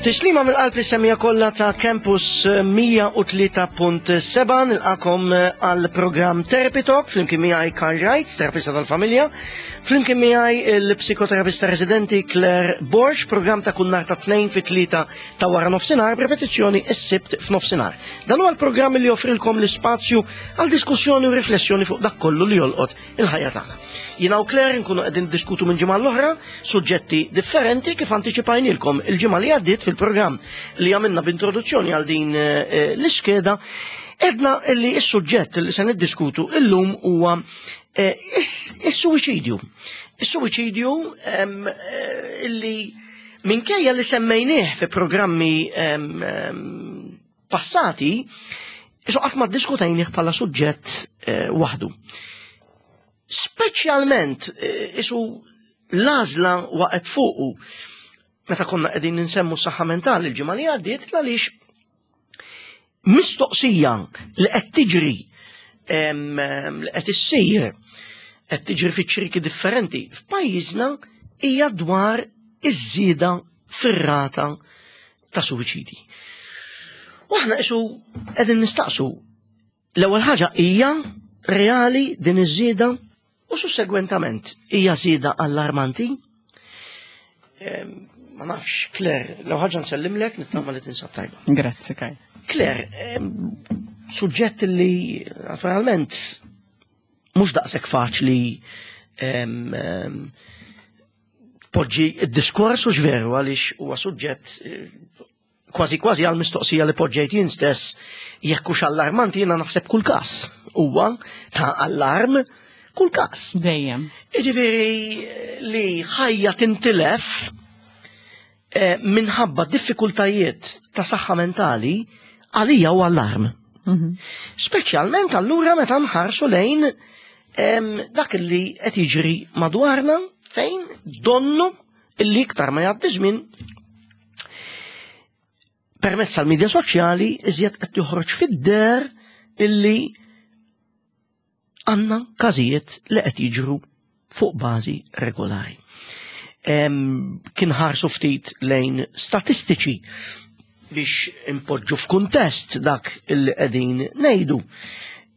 Tislima mill-qalb li semmija kollha ta' Campus 103.7 nilqakom għal programm Therapy Talk flimkien miegħi Karl Wright, terapista tal-familja, flimkien miegħi il-psikoterapista residenti Claire Borg, programm ta' kull nhar ta' tnejn fit-tlieta ta' wara nofsinhar b'repetizzjoni s-sibt f'nofsinhar. Dan huwa l-programm li joffrilkom l-ispazju għal diskussjoni u riflessjoni fuq dak kollu li jolqot il-ħajja tagħna. Jiena u Claire nkunu qegħdin diskutu minn ġimgħa l-oħra suġġetti differenti kif antiċipajnilkom il-ġimgħa li għaddiet fil-programm li għamilna b'introduzzjoni għal din eh, l-iskeda edna li s-suġġett li se niddiskutu illum huwa eh, is-suwiċidju. Is-suwiċidju eh, illi minkejja li semmejnieh fi programmi passati, isu qatt ma ddiskutejnih bħala suġġett eh, waħdu. Speċjalment eh, isu l-għażla waqgħet fuqu meta konna qegħdin ninsemmu s-saħħa mentali l-ġimgħa li għaddiet għaliex mistoqsija li qed tiġri li qed issir qed tiġri fi ċriki differenti f'pajjiżna hija dwar iż-żieda fir-rata ta' suwiċidi. U aħna isu qegħdin nistaqsu l-ewwel ħaġa hija reali din iż-żieda u sussegwentament hija żieda allarmanti. Ma nafx, Claire, l-ewwel ħaġa nsellimlek nittama li tinsab tajba. Grazzi, Kaj. Claire, suġġett li naturalment mhux daqshekk faċli poġġi d-diskors u veru għaliex huwa suġġett eh, kważi kważi għal mistoqsija li poġġejt jien stess jekk hux allarmanti jiena naħseb kull każ huwa ta' allarm kull każ. Dejjem. Jiġifieri eh, li ħajja tintilef eh, minħabba diffikultajiet ta' saħħa mentali għalija u allarm. Mhm. Speċjalment allura meta nħarsu lejn dak li qed jiġri madwarna fejn donnu illi iktar ma jgħaddi żmien permezz tal-medja soċjali iżjed qed joħroġ fid-der illi għandna każijiet li qed jiġru fuq bażi regolari. Kien ħarsu ftit lejn statistiċi biex impoġġu f'kuntest dak il qegħdin ngħidu.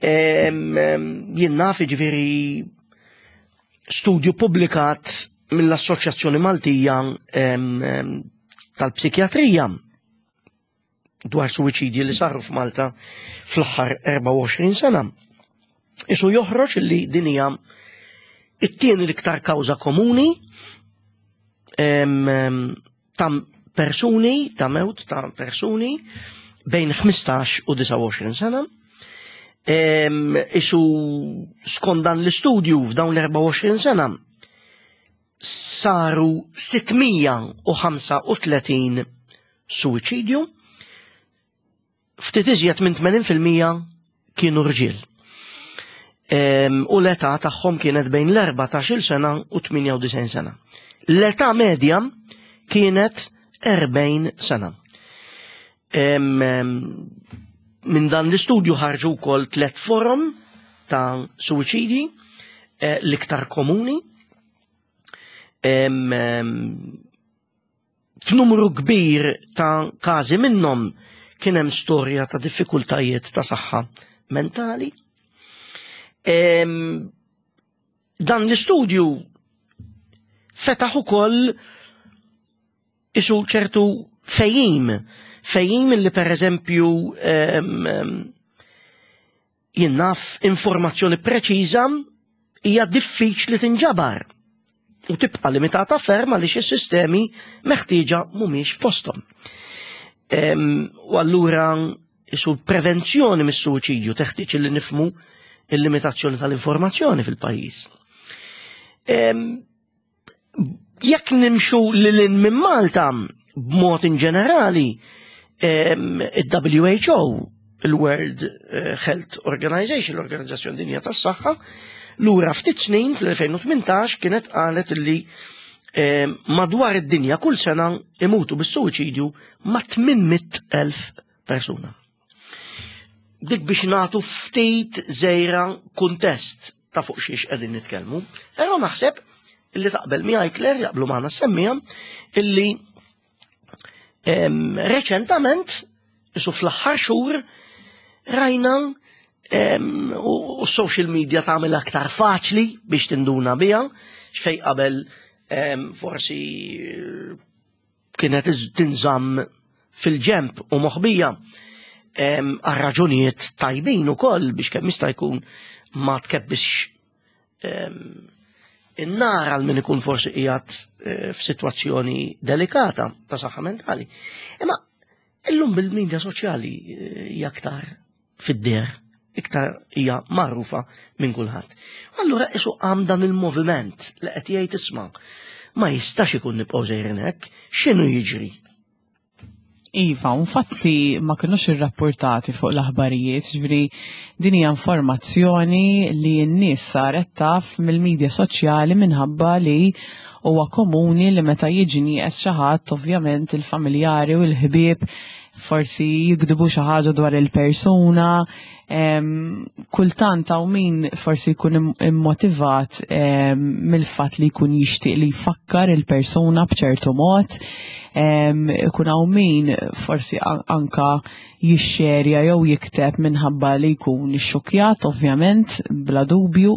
Jien naf jiġifieri studju publikat mill-Assoċjazzjoni Maltija tal-Psikjatrija dwar suwiċidji li saru f'Malta fl-aħħar 24 sena. Isu joħroġ li din hija it-tieni l-iktar kawża komuni ta' persuni, ta' mewt ta' persuni bejn 15 u 29 sena. Isu skont dan l-istudju f'dawn l-24 sena saru 635 suwiċidju, ftit iżjed minn 80% kienu rġiel. U l-età tagħhom kienet bejn l-14 sena u 98 sena. L-età medja kienet 40 sena. Minn dan l-istudju ħarġu wkoll tliet forom ta' suwiċidji eh, l-iktar komuni. F'numru kbir ta' każi minnhom kien hemm storja ta' diffikultajiet ta' saħħa mentali. Dan l-istudju fetaħ ukoll isu ċertu fejjim, fejjim li per eżempju jien naf informazzjoni preċiża hija diffiċli tinġabar u tibqa' limitata ferm għaliex is-sistemi meħtieġa mhumiex fosthom. U allura isu prevenzjoni mis-suwiċidju teħtieġ li nifmu il-limitazzjoni tal-informazzjoni fil-pajjiż. Jekk nimxu lil minn Malta b'mod in ġenerali, il-WHO, il-World eh, Health Organization, l-Organizzazzjoni Dinja tas-Saħħa, lura ftit snin fl-2018 kienet qalet li madwar id-dinja kull sena imutu bis-suwiċidju ma' 800,000 persuna. Dik biex nagħtu ftit żejra kuntest ta' fuq xiex qegħdin nitkellmu. Però naħseb illi taqbel miegħi Claire jaqblu magħna semmija illi Reċentament, isu fl-aħħar xhur, rajna u social media tagħmel aktar faċli biex tinduna biha, xfej qabel forsi eh, kienet tinżamm fil-ġemp u moħbija għal raġunijiet tajbin ukoll biex kemm jista' jkun ma tkebbisx in-nar għal min ikun forsi qiegħed eh, f'sitwazzjoni delikata ta' saħħa mentali. Imma illum bil-medja soċjali eh, hija aktar fid-der, iktar hija magħrufa minn kulħadd. Allura isu qam dan il-moviment li qed jgħid isma' ma jistax ikun nibqgħu sejrin hekk, x'inhu jiġri? Iva, infatti ma kinux irrapportati fuq l-aħbarijiet, ġifieri din hija informazzjoni li n-nies saret taf mill-medja soċjali minħabba li huwa komuni li meta jiġi nieqes xi ħadd ovvjament il-familjari u l-ħbieb forsi jikdbu xi ħaġa dwar il-persuna, kultant hawn min forsi jkun immotivat mill-fatt li jkun jixtieq li jfakkar il-persuna b'ċertu mod, ikun hawn min forsi anka jixxerja jew jikteb minħabba li jkun ixxukkjat ovvjament bla dubju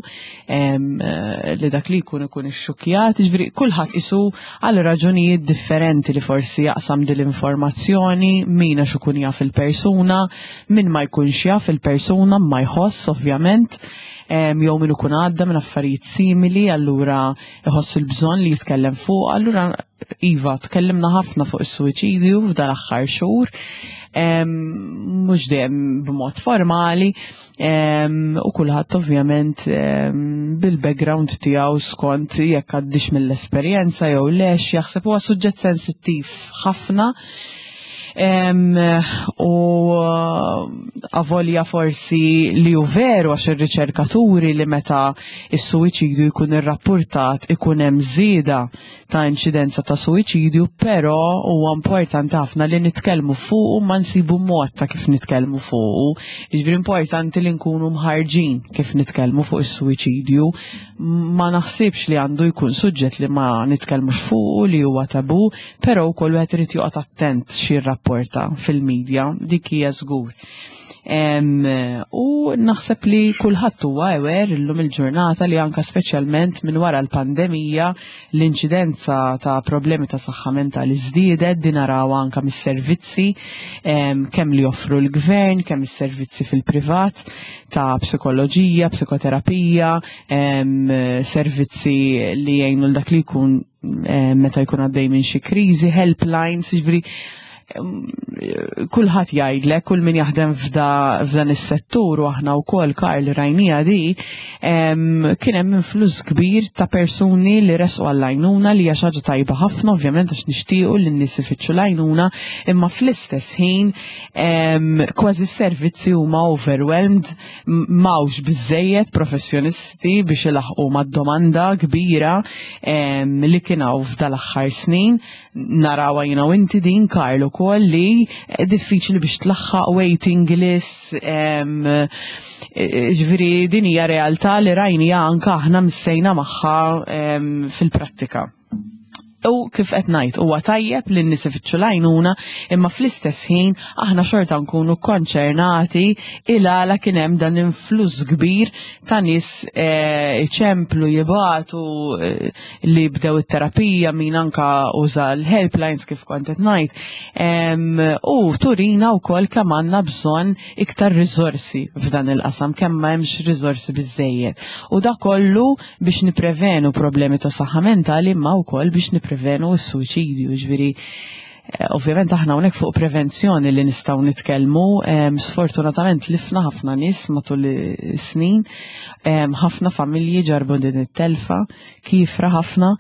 li dak li jkun ikun ixxukkjat, jiġifieri kulħadd isu għal raġunijiet differenti li forsi jaqsam din l-informazzjoni, min għax ikun jaf il-persuna, min ma jkunx jaf il-persuna ma jħoss ovvjament, jew min ikun għadda minn affarijiet simili, allura iħoss il-bżonn li jitkellem fuq, allura iva, tkellimna ħafna fuq is-suwiċidju f'dan l-aħħar xhur, mhux dejjem b'mod formali, u kulħadd ovvjament bil-background tiegħu skont jekk għaddix mill-esperjenza jew lex jaħseb huwa suġġett sensittiv ħafna. U avolja forsi li hu veru għax ir-riċerkaturi li meta is-suwiċidju jkun irrappurtat ikun hemm żieda ta' inċidenza ta' suwiċidju, però huwa importanti ħafna li nitkellmu fuqu ma nsibu mod ta' kif nitkellmu fuqu. Jiġifieri importanti li nkunu mħarġin kif nitkellmu fuq is-suwiċidju. Ma naħsibx li għandu jkun suġġett li ma nitkellmux fuqu li huwa tabu, Però wkoll wieħed irid joqgħod attent x'jirrapporta fil-medja, dik hija żgur. U naħseb li kulħadd huwa aware illum il-ġurnata li anka speċjalment minn wara l-pandemija l-inċidenza ta' problemi ta' saħħa mentali żdiedet din narawha anka mis-servizzi kemm li joffru l-gvern, kemm is-servizzi fil-privat ta' psikoloġija, psikoterapija, servizzi li jgħinu l dak li jkun eh, meta jkun għaddej minn xi kriżi, helplines, jiġifieri eh, kulħadd jgħidlek, kull min jaħdem f'dan is-settur u aħna wkoll Karl rajnija di, kien hemm influss kbir ta' persuni li resqu għall-għajnuna li hija xi ħaġa tajba ħafna ovvjament għax nixtiequ li n-nies ifittxu l-għajnuna, imma fl-istess ħin kważi s-servizzi huma overwhelmed M'hawnx biżżejjed professjonisti biex ilaħħqu mad-domanda kbira li kien hawn f'dal-aħħar snin. Narawha jiena u inti din Karl ukoll li diffiċli biex tlaħħaq waiting lists. Ġifieri din hija realtà li rajniha anke aħna missejna magħha fil-prattika. U kif qed ngħid huwa tajjeb li n-nies ifittxu l-għajnuna, imma fl-istess ħin aħna xorta nkunu konċernati il għala kien hemm dan influss kbir ta' nies eh, iċemplu jibatu eh, li bdew it-terapija min anka uża l-helplines kif kont qed ngħid. U turina wkoll kemm għandna bżonn iktar riżorsi f'dan il-qasam, kemm ma hemmx riżorsi biżejjed. U da kollu biex niprevenu problemi ta' saħħa mentali imma wkoll biex niprevenu s-suċidju, ġifieri eh, ovvjament aħna hawnhekk fuq prevenzjoni li nistgħu nitkellmu, sfortunatament lifna ħafna nies matul is-snin, ħafna familji ġarbu din it-telfa, kifra ħafna,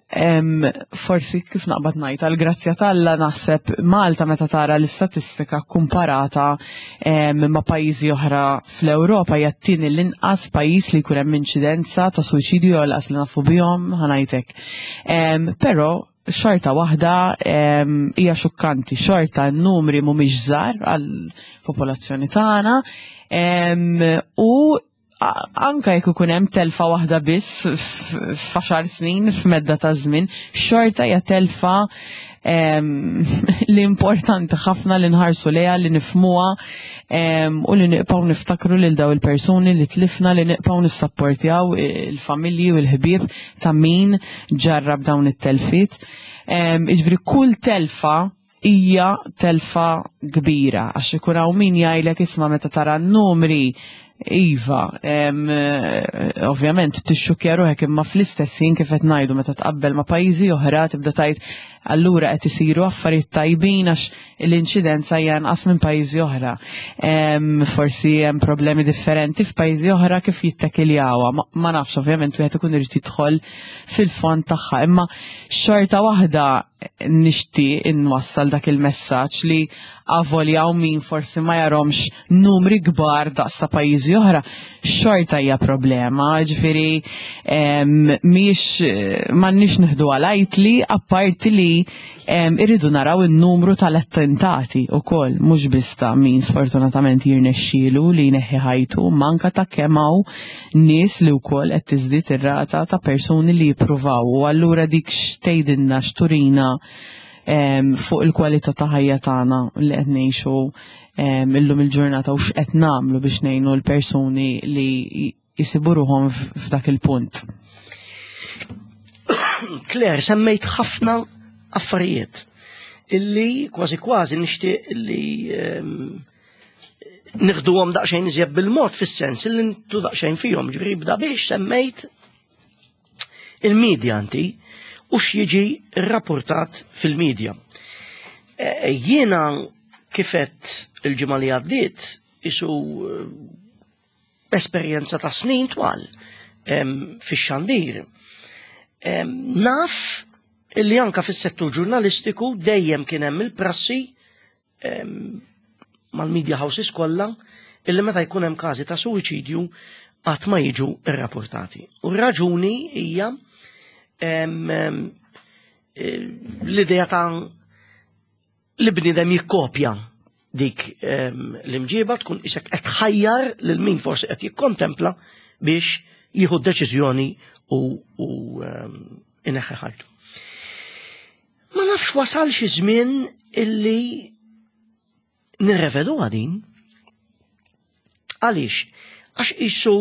Forsi kif naqbad ngħid għall-grazzja t'Alla naħseb Malta meta tara l-istatistika kumparata ma' pajjiżi oħra fl-Ewropa hija t-tieni l-inqas pajjiż li jkun hemm inċidenza ta' suwiċidju jew l-qas li nafu bihom ħanajtek. Però xorta waħda hija xukkanti, xorta n-numri mhumiex żgħar għall-popolazzjoni tagħna u. anka jekk ikun hemm telfa waħda biss f'għaxar snin f'medda ta' żmien, xorta hija telfa li importanti ħafna li nħarsu lejha li nifmuha u li nibqgħu niftakru lil daw il-persuni li tlifna li nibqgħu nissapportjaw il-familji u l-ħbieb ta' min ġarrab dawn it-telfiet. Jiġifieri kull telfa hija telfa kbira għax ikun hawn min jgħidlek isma' meta tara n-numri iva, ovvjament tixxukkja ruħek imma fl-istess ħin kif qed ngħidu meta tqabbel ma' pajjiżi oħra tibda tgħid allura qed isiru affarijiet tajbin għax l-inċidenza hija anqas minn pajjiżi oħra. Forsi hemm problemi differenti f'pajjiżi oħra kif jittekiljawha. Ma nafx ovvjament wieħed ikun irid jidħol fil-fond tagħha, imma xorta waħda nixtieq inwassal dak il-messaġġ li avolja hawn min forsi ma jarhomx numri kbar daqs ta' pajjiżi oħra, xorta hija problema, ġifieri mhix m'għandniex nieħdu għalajtli apparti li irridu naraw in-numru tal-attentati wkoll mhux biss ta' min sfortunatament jirnexxielu li jneħħi ħajtu, imma anke ta' kemm hawn nies li wkoll qed tiżdied ir-rata ta' persuni li jippruvaw u allura dik x'tgħidilna x'turina fuq il-kwalità ta' ħajja tagħna li qed ngħixu illum il-ġurnata u x'qed nagħmlu biex ngħinu l-persuni li jsibu ruħhom f'dak il-punt. Claire, semmejt ħafna affarijiet illi kważi kważi nixtieq illi nieħduhom daqsxejn iżjed bil-mod fis-sens li ntu daqsxejn fihom, ġifieri bda biex semmejt il-medja inti u x'jiġi rrapportat fil-medja. E, jiena kifet il-ġimgħa li għaddiet isu eh, esperjenza ta' snin twal fix-xandir. Naf illi anka fis-settur ġurnalistiku dejjem kien hemm il-prassi mal-media houses kollha illi meta jkun hemm każi ta' suwiċidju qatt ma jiġu rrapportati. U r-raġuni hija l-idea ta' li bniedem jikkopja dik l-imġiba tkun isek qed tħajjar lil min forsi qed jikkontempla biex jieħu deċiżjoni u, u ineħħi ħajtu. Ma nafx wasal xi żmien illi nirrevedu din. Għaliex? Għax isu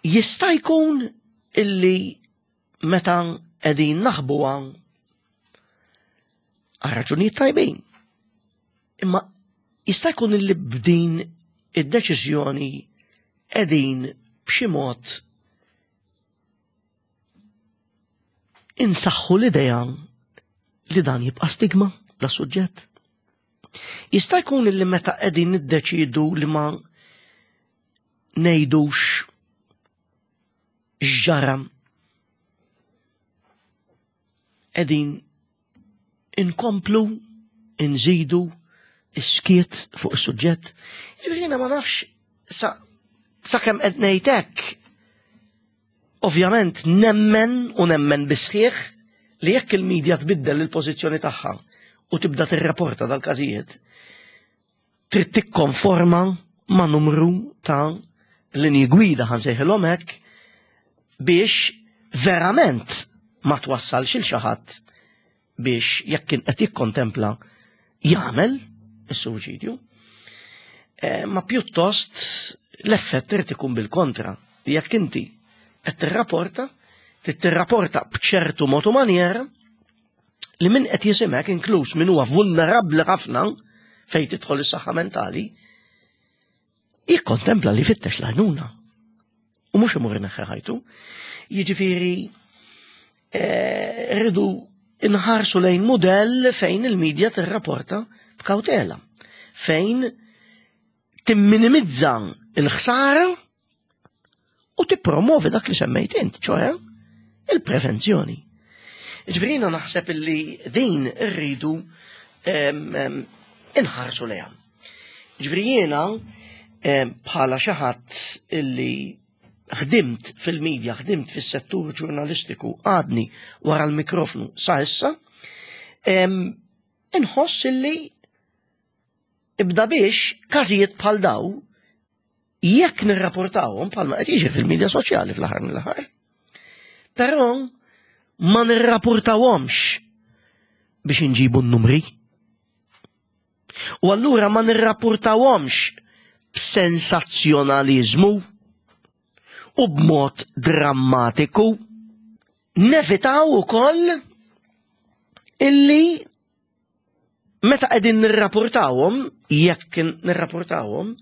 jista' jkun illi meta qegħdin naħbuha għal raġunijiet tajbin. Imma jista' jkun illi b'din id-deċiżjoni qegħdin b'xi mod insaħħu l-idea li dan jibqa' stigma la suġġett. Jista' jkun li meta qegħdin niddeċidu li ma ngħidux x'ġara qegħdin inkomplu inżidu is-skiet fuq is-suġġett. Jiġifieri ma nafx sa sakemm qed ngħid hekk ovvjament nemmen u nemmen bisħieħ li jekk il-medja tbiddel il-pożizzjoni tagħha u tibda tirrapporta dal-każijiet, trid tikkonforma ma' numru ta' linji gwida ħansejħilhom hekk biex verament ma twassalx il xi ħadd biex jekk kien qed jikkontempla jagħmel is-suwiċidju. Eh, ma pjuttost l-effett irid ikun bil-kontra. Jekk inti qed tirrapporta, trid tirrapporta b'ċertu mod u manjera li min qed jisimek inkluż min huwa vulnerabbli ħafna fejn tidħol is-saħħa mentali, jikkontempla li fittex l-għajnuna. U mhux imur ineħħi ħajtu. Jiġifieri eh, rridu inħarsu lejn mudell fejn il-medja tirrapporta b'kawtela, fejn timminimizza il-ħsara u tippromovi dak li semmejt int, ċoħe il-prevenzjoni. Ġifieri naħseb illi din irridu inħarsu lejha. Ġifieri jiena bħala xi ħadd illi ħdimt fil-medja, ħdimt fis-settur ġurnalistiku, għadni wara l-mikrofnu sa issa, inħoss illi ibda biex każijiet bħal daw. Jekk nirrapportawhom bħalma qed jiġri fil-medja soċjali fl-aħħar mill-aħħar. Però ma nirrapportawhomx biex inġibu n-numri. U allura ma nirrapportawhomx b'sensazzjonaliżmu u b'mod drammatiku. Nevitaw ukoll illi meta qegħdin nirrapportawhom, jekk nirrapportawhom,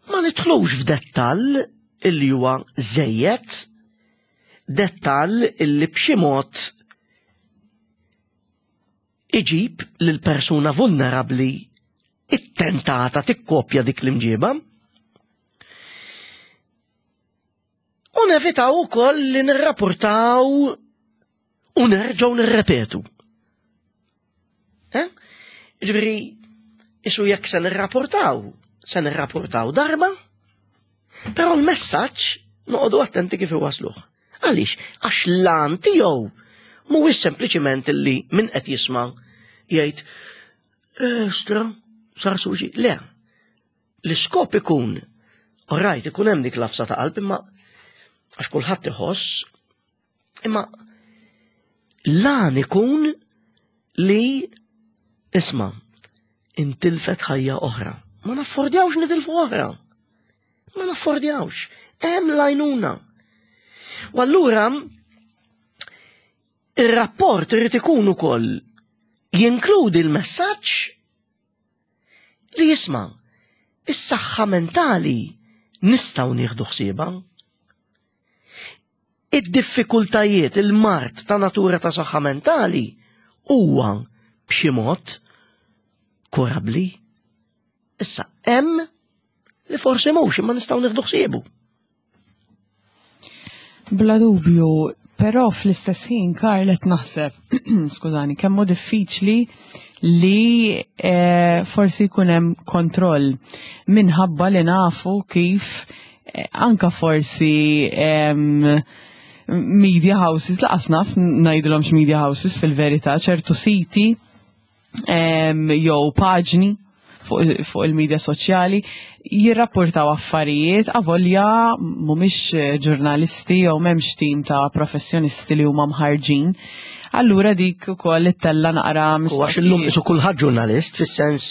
ma nidħlux f'dettall illi huwa żejjed, dettall illi b'xi mod iġib lil persuna vulnerabbli ittentata tikkopja dik l-imġiba. U nevitaw ukoll li nirrapportaw u nerġgħu nirrepetu. Eh? Ġifieri, isu jekk se nirrapportaw, se nirrapportaw darba, però l-messaġġ noqogħdu attenti kif iwasluh. Għaliex? Għax l-għan tiegħu mhuwiex sempliċiment li min qed jisma' jgħid Estra, sar suġi. Le, L-iskop ikun, rajt ikun hemm dik l-afsa ta' qalb imma għax kulħadd iħoss, imma lan ikun li isma' intilfet ħajja oħra. Ma naffordjawx nitilfu oħra. Ma naffordjawx. Hemm lajnuna. U allura ir-rapport irid ikun ukoll jinkludi l-messaġġ Li jisma' is-saħħa mentali nistgħu nieħdu ħsiebha. Id-diffikultajiet, il-mard ta' natura ta' saħħa mentali huwa b'xi mod kurabbli. Issa hemm li forsi mhux imma nistgħu nieħdu ħsiebu. Bla dubju, però fl-istess ħin Karl qed naħseb, skużani, kemm hu diffiċli li eh, forsi jkun hemm kontroll minħabba li nafu kif eh, anka forsi media houses, laqas naf ngħidilhomx media houses fil-verità, ċertu siti jew paġni fuq il-medja soċjali jirrapportaw affarijiet avolja mhumiex eh, ġurnalisti jew m'hemmx tim ta' professjonisti li huma mħarġin. Allura dik ukoll ittella naqra mistoqsijiet. Għax illum isu kulħadd ġurnalist fis-sens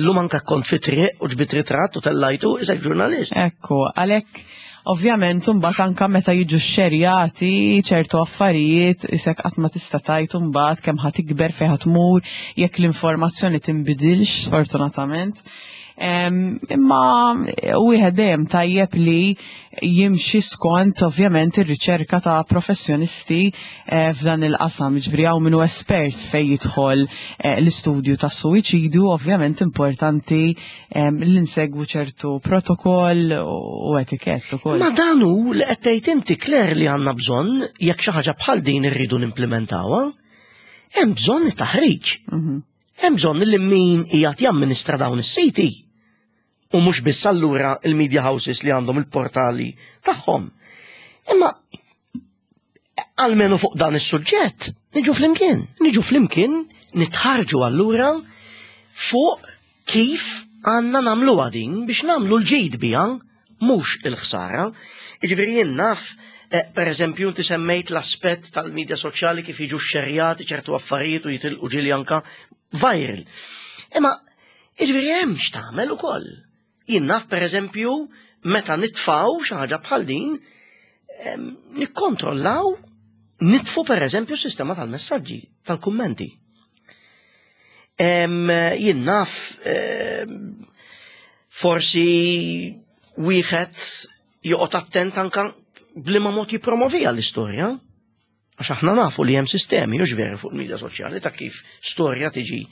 illum anke kont fi triq u ġbit ritratt u tellajtu isek ġurnalist. Ekku, għalhekk Ovvjament imbagħad anke meta jiġu xxerjati ċertu affarijiet isek qatt ma tista' tgħid imbagħad kemm ħa tikber fejn ħa tmur jekk l-informazzjoni tinbidilx sfortunatament. Imma wieħed dejjem tajjeb li jimxi skont ovvjament ir-riċerka ta' professjonisti eh, f'dan il-qasam, ġifieri hawn minnu espert fejn jidħol eh, l-istudju tas-suwiċidju, ovvjament importanti li nsegwu ċertu protokoll u etikett ukoll. Ma dan hu li qed tgħid inti Claire li għandna bżonn jekk xi ħaġa bħal din irridu nimplementawha, hemm bżonn it-taħriġ. Mhm. Hemm bżonn li min qiegħed jamministra dawn is-siti u mhux biss allura il-media houses li għandhom il-portali tagħhom. Imma almenu fuq dan is-suġġett niġu flimkien, niġu flimkien nitħarġu allura fuq kif għandna nagħmluha din biex nagħmlu l-ġid biha mhux il-ħsara. Jiġifieri jien naf eh, per eżempju, inti semmejt l-aspett tal-medja soċjali kif jiġu xerjati ċertu affarijiet u jitilqu ġieli anka viral. Imma jiġifieri hemm x'tagħmel ukoll. Jien naf pereżempju meta nitfaw xi ħaġa bħal din, nikkontrollaw nitfu pereżempju s-sistema tal-messaġġi, tal-kummenti. Jien naf forsi wieħed joqgħod attent anka bliema mod jippromovija l-istorja. Għax aħna nafu li hemm sistemi, hux veru fuq il-medja soċjali ta' kif storja tiġi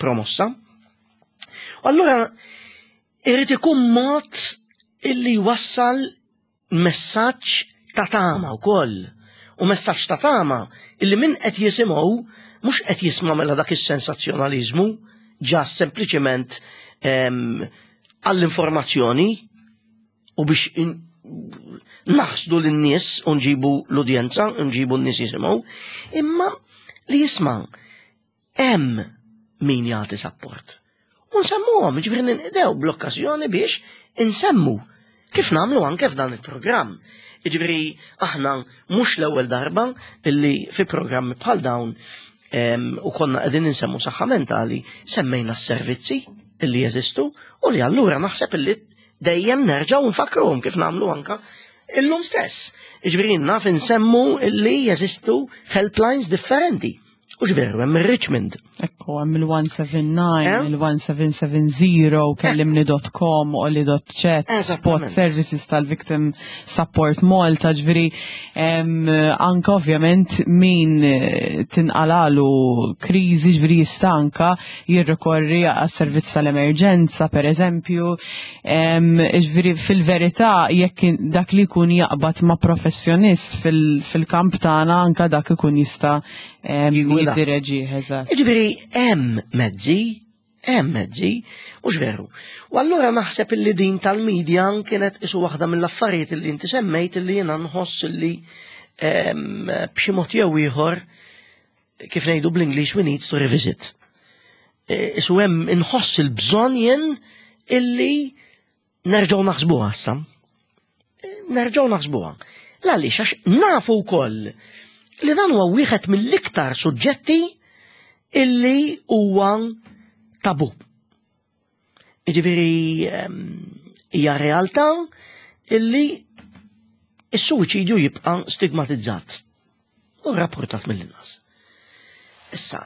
promossa. Allura irid ikun mod illi jwassal messaġġ ta' tama wkoll. U messaġġ ta' tama illi min qed jisimgħu mhux qed jisma' mela dak is-sensazzjonaliżmu ġa sempliċement għall-informazzjoni u biex naħsdu lin-nies u nġibu l-udjenza, nġibu n-nies jisimgħu, imma li jisma' hemm min jagħti sapport. U nsemmuhom, ġifieri ninqdew bl-okkażjoni biex insemmu kif nagħmlu anke f'dan il-programm. Jiġifieri aħna mhux l-ewwel darba illi fi programmi bħal dawn u konna qegħdin insemmu saħħa mentali semmejna s-servizzi illi jeżistu u li allura naħseb illi dejjem nerġgħu nfakruhom kif nagħmlu anka illum stess. Jiġifieri naf insemmu illi jeżistu helplines differenti. U x'veru, hemm ir-Richmond. Ekku, hemm il-179, eh? il-1770, kellimni.com, oli.chat, spot services tal-Victim Support Malta, ġviri, anka ovvjament min eh, tinqalalu kriżi ġviri jista' anka jirrikorri għas-servizz tal-emerġenza, per eżempju, ġviri fil-verità jekk dak li jkun jaqbad ma' professjonist fil-kamp tagħna anka dak ikun jista' Jiddireġi, eżatt. Jiġifieri hemm mezzi, hemm mezzi, u veru. U allura naħseb illi din tal-medja kienet isu waħda mill-affarijiet illi inti semmejt illi jiena nħoss illi b'xi mod jew ieħor kif ngħidu bl-Ingliż we need to revisit. E, isu hemm inħoss il-bżonn jien illi Nerġgħu naħsbuha issa. Nerġgħu naħsbuha. L-għaliex għax nafu wkoll li dan huwa wieħed mill-iktar suġġetti illi huwa tabu. Jiġifieri ehm, hija realtà illi is-suwiċidju jibqa' stigmatizzat. u rapportat mill-inqas. Issa,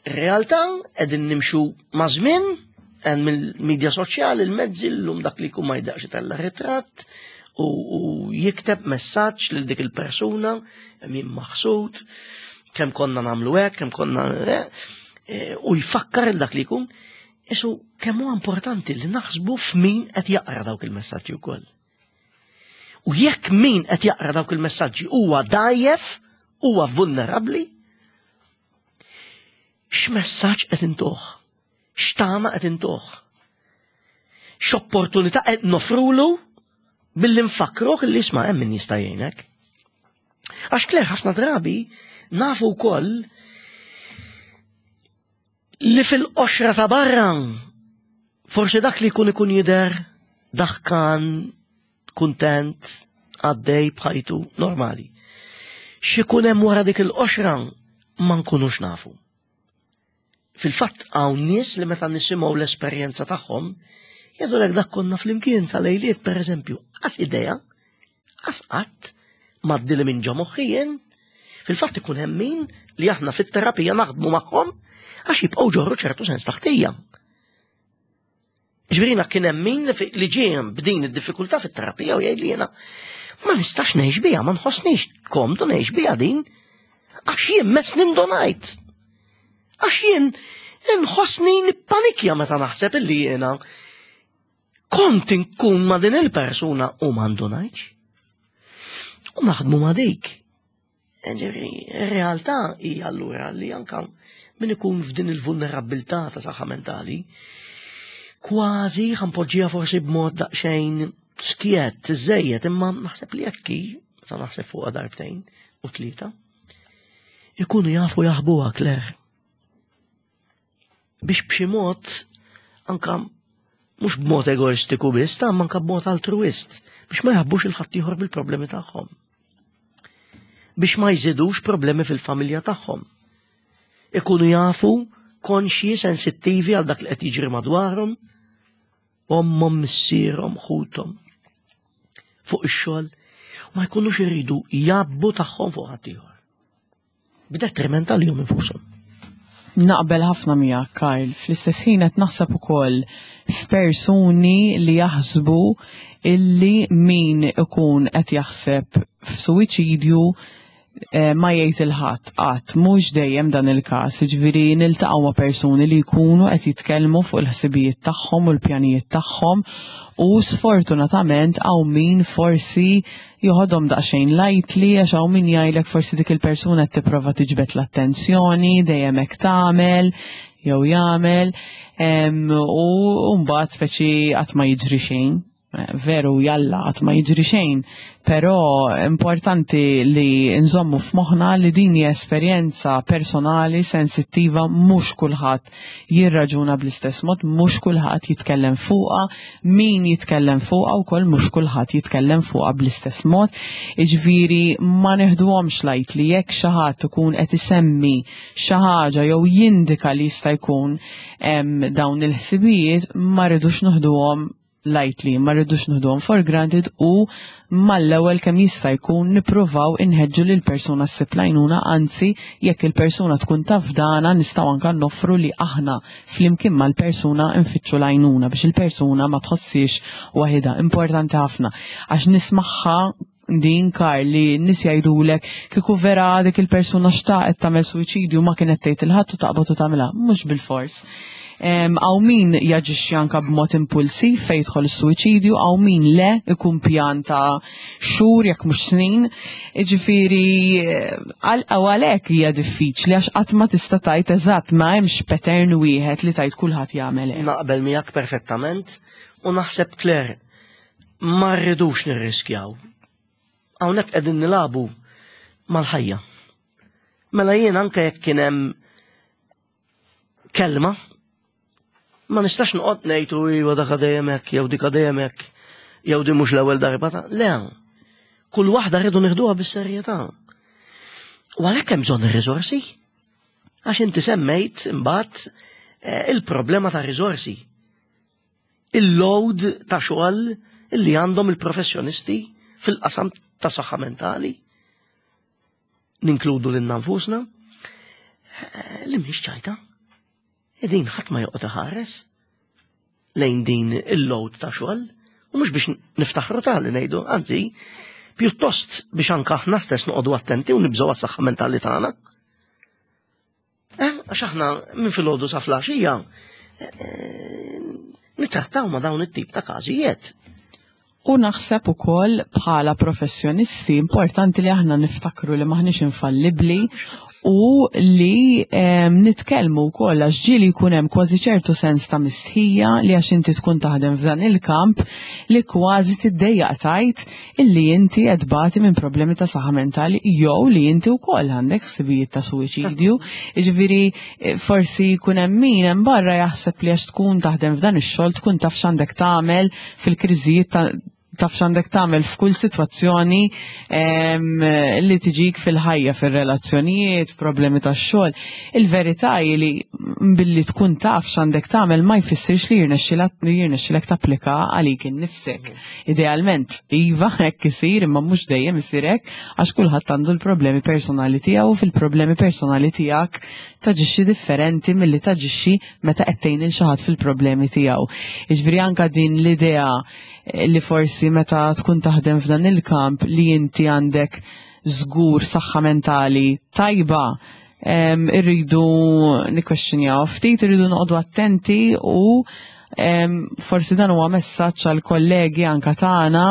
realtà qegħdin nimxu ma' żmien hemm mill-medja soċjali l-mezzi llum dak li jkun ma jdaqx itella' ritratt u, u jikteb messaġġ lil dik il-persuna min maħsud, kemm konna nagħmlu hekk, kemm konna eh, eh, u jfakkar il dak li jkun. Isu kemm huwa importanti li naħsbu f'min qed jaqra dawk il-messaġġi wkoll. U jekk min qed jaqra dawk il-messaġġi huwa dajjef, huwa vulnerabbli, x'messaġġ qed intuh? X'tama qed intuh? X'opportunità qed nofrulu billi nfakruh li isma' hemm min jista' jgħinek. Għax kler ħafna drabi nafu wkoll li fil-qoxra ta' barra forsi dak li jkun ikun jidher daħkan, kuntent, għaddej bħajtu normali. X'ikun hemm wara dik il-qoxra ma nkunux nafu. Fil-fatt hawn nies li meta nisimgħu l-esperjenza tagħhom jgħidulek dak konna flimkien sa lejliet pereżempju, qas idea Qas qatt m'għaddili minn ġo moħħi jien. Fil-fatt ikun hemm min li aħna fit-terapija naħdmu magħhom għax jibqgħu ġorru ċertu sens taħtija. Ġvirina kien hemm min li ġie b'din id-diffikultà fit-terapija u jgħid li jiena ma nistax ngħix biha, ma nħossnix komdu ngħix biha din għax jien mess nindonajt. Għax jien nħossni nippanikja meta naħseb illi jiena Kont inkun ma' din il-persuna u ma ndunajtx. U naħdmu ma' dik. Ġifieri, ir-realtà hija allura li anka min ikun f'din il-vulnerabilità ta' saħħa mentali, kważi ħanpoġġiha forsi b'mod daqsxejn skjett, iżejjed, imma naħseb li hekk hi, meta naħseb fuqha darbtejn u tlieta, ikunu jafu jaħbuha Claire. Biex b'xi mod anka mhux b'mod egoistiku biss, ta' anka b'mod altruist, biex ma jaħbux il-ħaddieħor bil-problemi tagħhom. Biex ma jżidux problemi fil-familja tagħhom. Ikunu jafu konxji, sensittivi għal dak li qed jiġri madwarhom, ommhom, missierhom, ħuthom, fuq ix-xogħol, ma jkunux iridu jabbu tagħhom fuq ħaddieħor. B'detriment għalihom infushom. Naqbel ħafna miegħek, Karl. Fl-istess ħin qed naħseb ukoll f'persuni li jaħsbu illi min ikun qed jaħseb f'suwiċidju eh, ma jgħid il-ħadd qatt mhux dejjem dan il-każ, jiġifieri niltaqgħu ma' persuni li jkunu qed jitkellmu fuq il-ħsibijiet tagħhom u l-pjanijiet tagħhom u sfortunatament hawn min forsi joħodhom daqsxejn lightly għax hawn min jgħidlek forsi dik il-persuna qed tipprova tiġbed l-attenzjoni, dejjem hekk tagħmel jew jagħmel u mbagħad speċi qatt ma jiġri xejn. Veru jalla qatt ma jiġri xejn, però importanti li nżommu f'moħħna li din hija esperjenza personali, sensittiva, mhux kulħadd jirraġuna bl-istess mod, mhux kulħadd jitkellem fuqha, min jitkellem fuqha wkoll mhux kulħadd jitkellem fuqha bl-istess mod. Jiġifieri ma neħduhomx lightly jekk xi ħadd ikun qed isemmi xi ħaġa jew jindika li jista' jkun hemm dawn il-ħsibijiet ma rridux noħduhom lightly, ma rridux noħduhom for granted u mal-ewwel kemm jista' jkun nippruvaw inħeġġu lil persuna ssib l-għajnuna, anzi jekk il-persuna tkun taf dana nistgħu anke noffru li aħna flimkien mal-persuna nfittxu l-għajnuna biex il-persuna ma tħossiex waħidha. Importanti ħafna għax nismagħha din kar li n-nies jgħidulek kieku vera dik il-persuna xtaqet tagħmel suwiċidju ma kienet tgħid il-ħadd u taqbad u tagħmilha, mhux bilfors. Hawn min jaġixxi anke b'mod impulsiv fejn jidħol is-suwiċidju, hawn min le ikun pjan ta' xhur jekk mhux snin. Jiġifieri għalhekk hija diffiċli għax qatt ma tista' tgħid eżatt ma hemmx pattern wieħed li tgħid kulħadd jagħmel hekk. Naqbel miegħek perfettament u naħseb Claire ma rridux nirriskjaw. Hawnhekk qegħdin nilagħbu mal-ħajja. Mela jien anke jekk kien hemm kelma, ma nistax noqgħod ngħid u iva dak dejjem hekk jew dik dejjem hekk jew din mhux l-ewwel darba ta' le. Kull waħda rridu nieħduha bis-serjetà. U għalhekk hemm bżonn ir-riżorsi. Għax inti semmejt imbagħad eh, il-problema ta' riżorsi. Il-load ta' xogħol illi għandhom il-professjonisti fil-qasam ta' saħħa mentali. Ninkludu lil nfusna eh, li mhix ċajta. Din ħadd ma joqgħod iħares lejn din il-load ta' xogħol u mhux biex niftaħru ta' li ngħidu, anzi, pjuttost biex anke aħna stess noqogħdu attenti u nibżgħu għas-saħħa mentali tagħna. Eh, għax aħna minn filgħodu sa flaxija eh, nittrattaw ma' dawn it-tip ta' każijiet. U naħseb ukoll bħala professjonisti importanti li aħna niftakru li maħniex infallibbli u li nitkellmu wkoll għax ġieli jkun hemm kważi ċertu sens ta' mistħija li għax inti tkun taħdem f'dan il-kamp li kważi tiddejjaq tgħid illi inti qed tbati minn problemi ta' saħħa mentali jew li inti wkoll għandek ħsibijiet ta' suwiċidju. Jiġifieri eh, forsi jkun hemm min hemm barra jaħseb li għax tkun taħdem f'dan ix-xogħol tkun taf x'għandek tagħmel fil-kriżijiet ta' taf x'għandek tagħmel f'kull sitwazzjoni li tiġik fil-ħajja, fir-relazzjonijiet, problemi tax-xogħol. Il-verità hi li billi tkun taf x'għandek tagħmel ma jfissirx li jirnexxilek tapplika għalik innifsek. Idealment, iva, hekk isir, imma mhux dejjem isir hekk, għax kulħadd għandu l-problemi personali tiegħu u fil-problemi personali tiegħek taġixxi differenti milli taġixxi meta qed tgħin lil xi ħadd fil-problemi tiegħu. Jiġifieri anke din l-idea eh, li forsi meta tkun taħdem f'dan il-kamp li inti għandek żgur saħħa mentali tajba irridu nikkwestjonjaw ftit, irridu noqogħdu attenti u forsi dan huwa messaġġ għal kollegi anka tagħna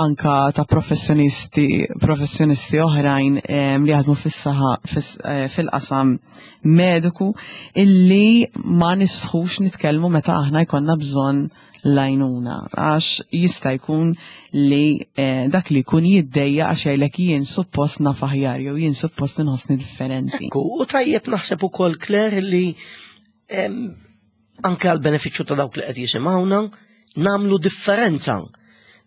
anka ta' professjonisti professjonisti oħrajn li jaħdmu fis-saħħa eh, fil-qasam mediku illi ma nistħux nitkellmu meta aħna jkollna bżonn l-għajnuna għax jista' jkun li eh, dak li jkun jiddejja għax jgħidlek jien suppost naf aħjar jew jien suppost inħossni differenti. Ekku, u tajjeb naħseb ukoll Claire li anke għal benefiċċju ta' dawk li qed jisimgħuna nagħmlu differenza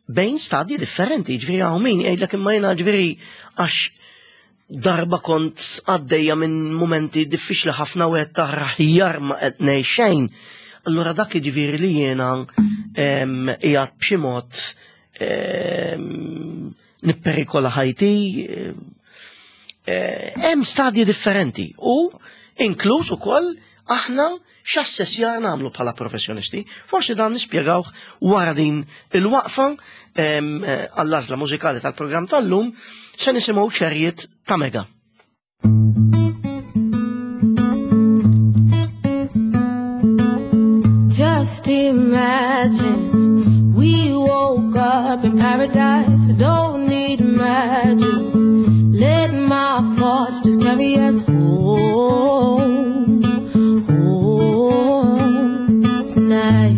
bejn stadji differenti, ġifieri hawn min jgħidlek imma jiena ġifieri għax darba kont għaddejja minn mumenti diffiċli ħafna u qed tara ħjar ma qed ngħix xejn. Allura dak jiġifieri li jiena qiegħed b'xi mod nipperikola ħajti. Eh, hemm stadji differenti u inkluż ukoll aħna x'assessjar nagħmlu bħala professjonisti. Forsi dan nispjegawh wara din il-waqfa eh, għall-għażla mużikali tal-programm tal-lum se nisimgħu ċerjiet ta' Mega. Just imagine we woke up in paradise. Don't need magic. Let my thoughts just carry us home, home tonight.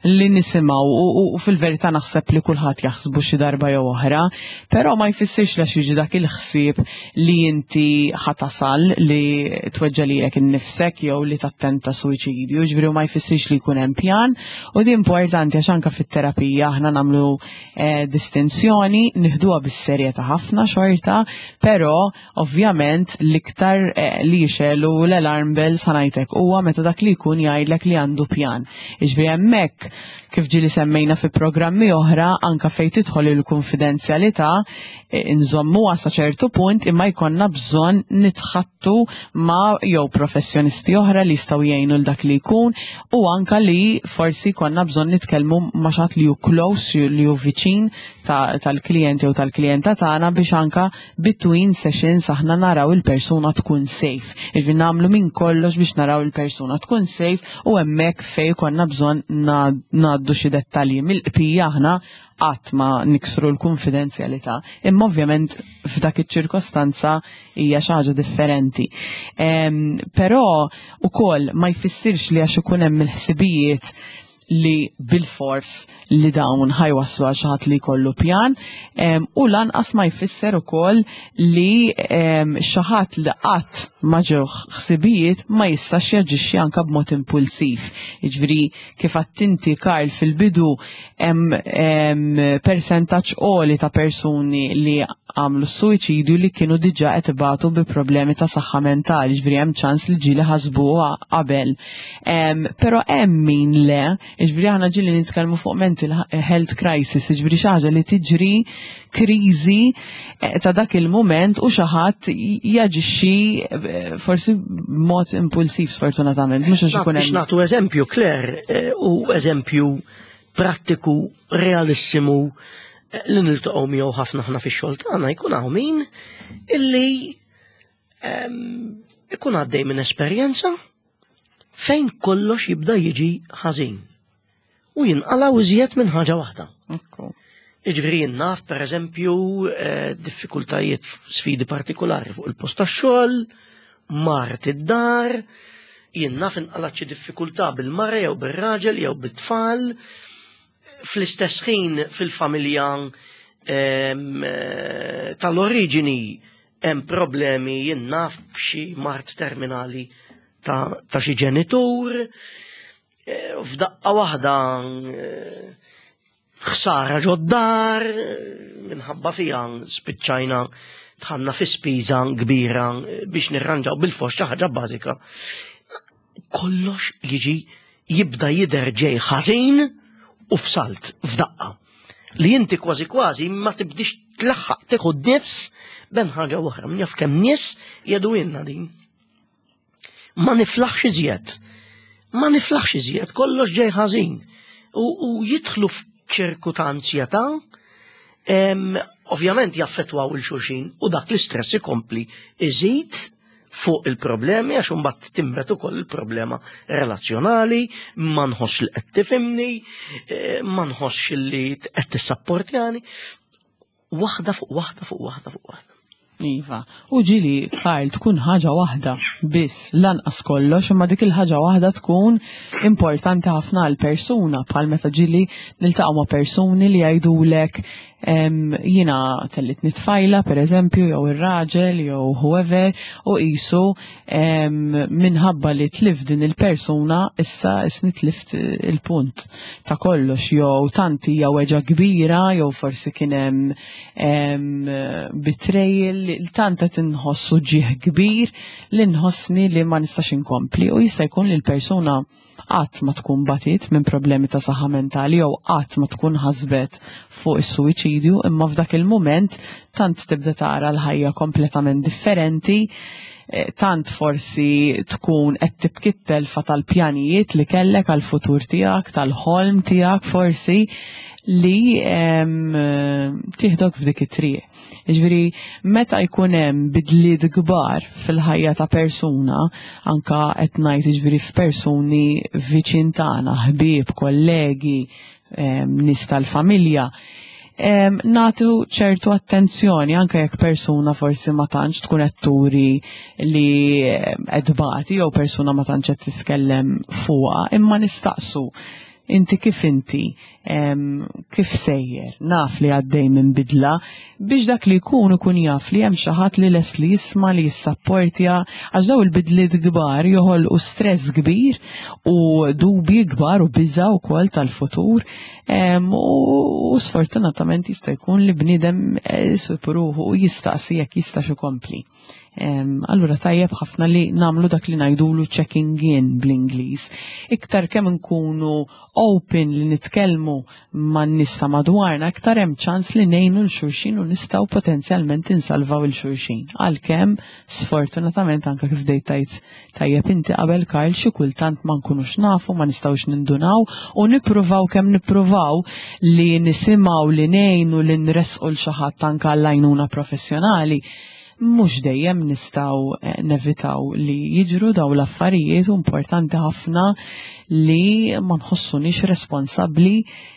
li nisimgħu u fil-verità naħseb li kulħadd jaħsbu xi darba jew oħra, però ma jfissirx li jiġi dak il-ħsieb li inti ħatasal li tweġġa' lilek innifsek jew li tattenta suwiċidju, ġifieri ma jfissirx li jkun hemm pjan u di importanti għax anke fit-terapija aħna nagħmlu eh, distinzjoni nieħduha bis-serjetà ħafna xorta, però Ovvjament l-iktar eh, li jixelu l-alarm bells ħanajtek huwa meta dak li jkun jgħidlek li għandu pjan. Iġvi hemmhekk kif ġieli semmejna fi programmi oħra anka fejn tidħol il-konfidenzjalità eh, nżommuha sa ċertu punt imma jkollna bżonn nitħattu ma' jew professjonisti oħra li jistgħu jgħinu l dak li jkun u anka li forsi jkollna bżonn nitkellmu ma' xi ħadd li hu close li hu viċin tal-klijent jew tal-klijenta tagħna biex anka between sessions aħna naraw il-persuna tkun safe. Jiġifieri nagħmlu minn kollox biex naraw il-persuna tkun safe u hemmhekk fejn konna bżonn ngħaddu xi dettalji mill-qpija aħna qatt ma niksru l-konfidenzjalità. Imma ovvjament f'dak iċ-ċirkostanza hija xi ħaġa differenti. Però ukoll ma jfissirx li għax ikun hemm il-ħsibijiet li bil-fors li dawn ħajwaslu għal xi ħadd li jkollu pjan u lanqas ma jfisser ukoll li xi ħadd li qatt ma ġew ħsibijiet ma jistax jaġixxi anke b'mod impulsiv. Jiġifieri kif għattinti Karl fil-bidu hemm persentaġġ għoli ta' persuni li għamlu s-suwiċidju li kienu diġà qed ibatu bi problemi ta' saħħa mentali, ġifieri hemm ċans li ġieli ħasbuha qabel. Però hemm min le, ġifieri aħna ġieli nitkellmu fuq mental health crisis, ġifieri xi ħaġa li tiġri kriżi eh, ta' dak il-mument u xi ħadd jaġixxi eh, forsi b'mod impulsiv sfortunatament, mhux għax ikun hemm. Nagħtu eżempju, Claire, eh, u eżempju prattiku realissimu li niltaqgħu miegħu ħafna ħna fix-xogħol tagħna jkun hawn min illi ehm, ikun għaddej minn esperjenza fejn kollox jibda jiġi ħażin. U jinqalaw iżjed minn ħaġa waħda. Iġveri naf, per eżempju, eh, diffikultajiet sfidi partikolari fuq il-post tax-xogħol, mart id-dar, jien naf inqalat xi diffikultà bil-mara jew bir-raġel jew bit-tfal, fl-istess ħin fil-familja ehm, eh, tal-oriġini hemm problemi jien naf b'xi mart terminali ta', ta xi ġenitur, eh, f'daqqa waħda eh, ħsara ġod-dar, minħabba fiha spiċċajna tħanna fi spiża kbira biex nirranġaw bil-fost xi ħaġa bażika. Kollox jiġi jibda jidher ġej ħażin u f'salt f'daqqa. Li inti kważi kważi ma tibdix tlaħħaq tieħu nifs ben ħaġa oħra. Min jaf kemm nies jedu din. Ma niflaħx iżjed. Ma niflaħx iżjed, kollox ġej ħażin. U, u jidħlu f'ċirku ta' anzjetà, ovvjament jaffettwaw il-xulxin u dak l-istress ikompli iżid fuq il-problemi għax imbagħad timbet ukoll il-problema relazzjonali, ma nħossx li qed tifhimni, eh, ma nħossx li qed tissapportjani. Waħda fuq waħda fuq waħda fuq waħda. Iva, u ġili, Karl, tkun ħaġa waħda biss, lanqas kollox, imma dik il-ħaġa waħda tkun importanti ħafna għal persuna, bħal meta ġili niltaqgħu ma' persuni li jgħidulek jiena tellit nitfajla, per eżempju, jew ir-raġel, jew whoever, u qisu minħabba li tlif din il-persuna, issa isni tlift il-punt ta' kollox, jew tant hija weġa kbira, jew forsi kien hemm betrayal, tant qed inħossu ġieħ kbir li nħossni li ma nistax inkompli u jista' jkun li l-persuna qatt ma tkun batit minn problemi ta' saħħa mentali jew qatt ma tkun ħasbet fuq is-suwiċidju imma f'dak il-mument tant tibda tara l-ħajja kompletament differenti eh, tant forsi tkun qed tibki t-telfa tal-pjanijiet li kellek għal-futur tiegħek, tal-ħolm tiegħek forsi li tieħdok f'dik it-triq. Jiġifieri meta jkun hemm bidliet kbar fil-ħajja ta' persuna, anka qed ngħid jiġifieri f'persuni viċin tagħna, ħbieb, kollegi, nies tal-familja, nagħtu ċertu attenzjoni anke jekk persuna forsi ma tantx tkun qed turi li qed tbati jew persuna ma tantx qed titkellem fuqha, imma nistaqsu. Inti kif inti, kif sejjer, naf li għaddej minn bidla, biex dak li jkun ikun jaf li hemm xi ħadd li lest li jisma' li jissapportja, għax daw il-bidliet kbar joħolqu stress kbir u dubji kbar u biża wkoll tal-futur. U sfortunatament jista' jkun li bniedem eh, isib ruħu u jistaqsi jekk jistax ikompli. Allura tajjeb ħafna li namlu dak li ngħidulu checking in bl-Ingliż. Iktar kemm nkunu open li nitkellmu man nies ta' madwarna, iktar hemm ċans li ngħinu l xulxin u nistgħu potenzjalment insalvaw il xulxin. Għalkemm sfortunatament anke kif dejt tajt tajjeb inti qabel Karl xi kultant ma nkunux nafu, ma nistgħux nindunaw u nippruvaw kemm nippruvaw li nisimgħu li ngħinu li nresqu l xi ħadd anke għall-għajnuna professjonali mhux dejjem nistgħu eh, nevitaw li jiġru daw l-affarijiet u importanti ħafna li ma nħossunix responsabbli